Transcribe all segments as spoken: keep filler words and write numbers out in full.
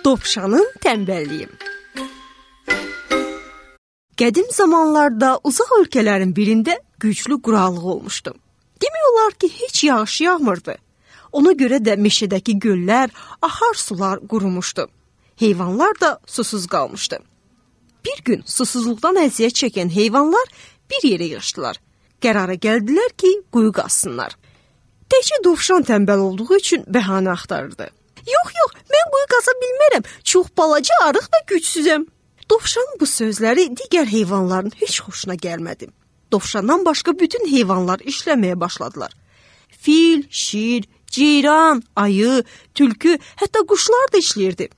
Dovşanın tənbəlliyi. Qədim zamanlarda uzaq ölkələrin birində güclü quraqlıq olmuşdu. Demək olar ki, heç yağış yağmırdı. Ona görə də meşədəki göllər, ahar sular qurumuşdu. Heyvanlar da susuz qalmışdı. Bir gün susuzluqdan əziyyət çəkən heyvanlar bir yerə yığışdılar. Qərara gəldilər ki, quyu qazsınlar. Təkcə dovşan tənbəl olduğu üçün bəhanə axtarırdı. Yox, yox, mən quyu qaza bilmərəm. Çox balaca, arıq və gücsüzəm. Dovşanın bu sözləri digər heyvanların heç xoşuna gəlmədi. Dovşandan başqa bütün heyvanlar işləməyə başladılar. Fil, şir, ceyran, ayı, tülkü, hətta quşlar da işləyirdi.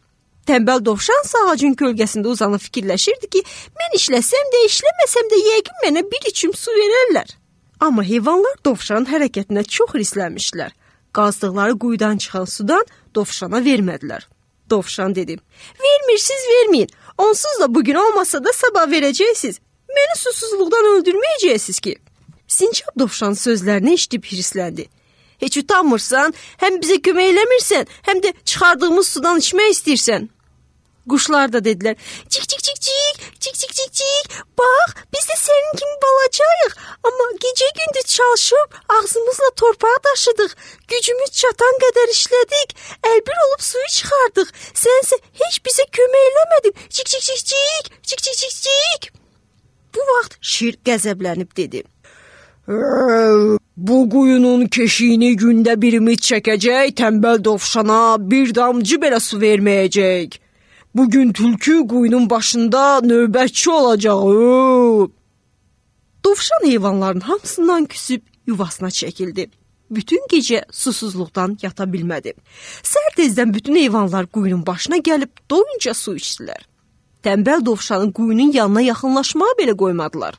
Tənbəl dovşan ağacın kölgəsində uzanıb fikirləşirdi ki, mən işləsəm də, işləməsəm də yəqin mənə bir içim su verərlər. Amma heyvanlar dovşanın hərəkətinə çox hirslənmişdilər. Qazdıqları quyudan çıxan sudan dovşana vermədilər. Dovşan dedi, vermirsiniz, verməyin. Onsuz da bugün olmasa da sabah verəcəksiniz. Məni susuzluqdan öldürməyəcəksiniz ki. Sincab dovşan sözlərini eşidib hirsləndi. Heç utanmırsan, həm bizə kömək eləmirsən, həm də çıxardığımız sudan içmək istəyirsən. Quşlar da dedilər, cik cik cik cik, cik cik cik cik, bax, biz də sənin kimi balacayıq, amma gecə-gündüz çalışıb ağzımızla torpağı daşıdıq, gücümüz çatan qədər işlədik, əlbir olub suyu çıxardıq, sənsə heç bizə kömək eləmədin, cik cik cik cik, cik cik cik cik. Bu vaxt şir qəzəblənib dedi, bu quyunun keşiyini gündə birimiz çəkəcək, tənbəl dovşana bir damcı belə su verməyəcək. Bugün tülkü quyunun başında növbətçi olacaq. Dovşan heyvanların hamısından küsüb yuvasına çəkildi. Bütün gecə susuzluqdan yata bilmədi. Səhər tezdən bütün heyvanlar quyunun başına gəlib doyunca su içdilər. Tənbəl dovşanın quyunun yanına yaxınlaşmağa belə qoymadılar.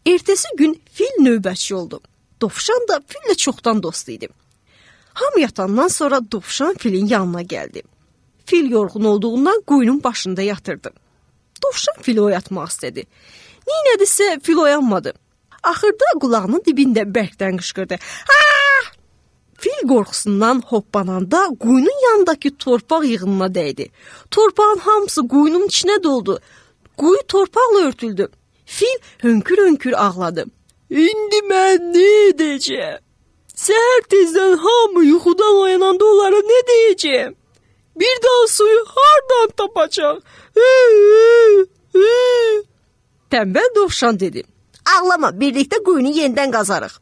Ertəsi gün fil növbətçi oldu. Dovşan da fillə çoxdan dost idi. Hamı yatandan sonra dovşan filin yanına gəldi. Fil yorğun olduğundan quyunun başında yatırdı. Dovşan fili oyatmaq istədi. Neynədirsə fil oyanmadı. Axırda qulağının dibində bərkdən qışqırdı. Aa! Fil qorxusundan hoppananda quyunun yanındakı torpaq yığınına dəydi. Torpağın hamısı quyunun içinə doldu. Quyu torpaqla örtüldü. Fil hönkür-hönkür ağladı. İndi mən nə edəcəm? Səhər tezdən hamı yuxudan oyananda onlara nə deyəcəm? Bir daha suyu hardan tapacaq? Tənbəl dovşan dedi. Ağlama, birlikdə quyunu yenidən qazarıq.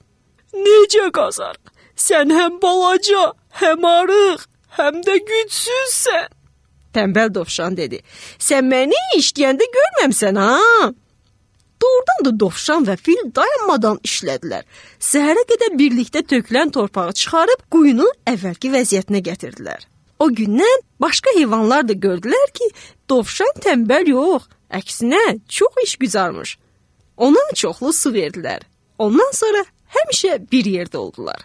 Necə qazarıq? Sən həm balaca, həm arıq, həm də gücsüzsən. Tənbəl dovşan dedi. Sən məni işləyəndə görməmsən, ha? Doğrudan da dovşan və fil dayanmadan işlədilər. Səhərə qədər birlikdə tökülən torpağı çıxarıb quyunu əvvəlki vəziyyətinə gətirdilər. O gündən başqa heyvanlar da gördülər ki, dovşan tənbəl yox, əksinə çox işgüzarmış. Ona çoxlu su verdilər. Ondan sonra həmişə bir yerdə oldular.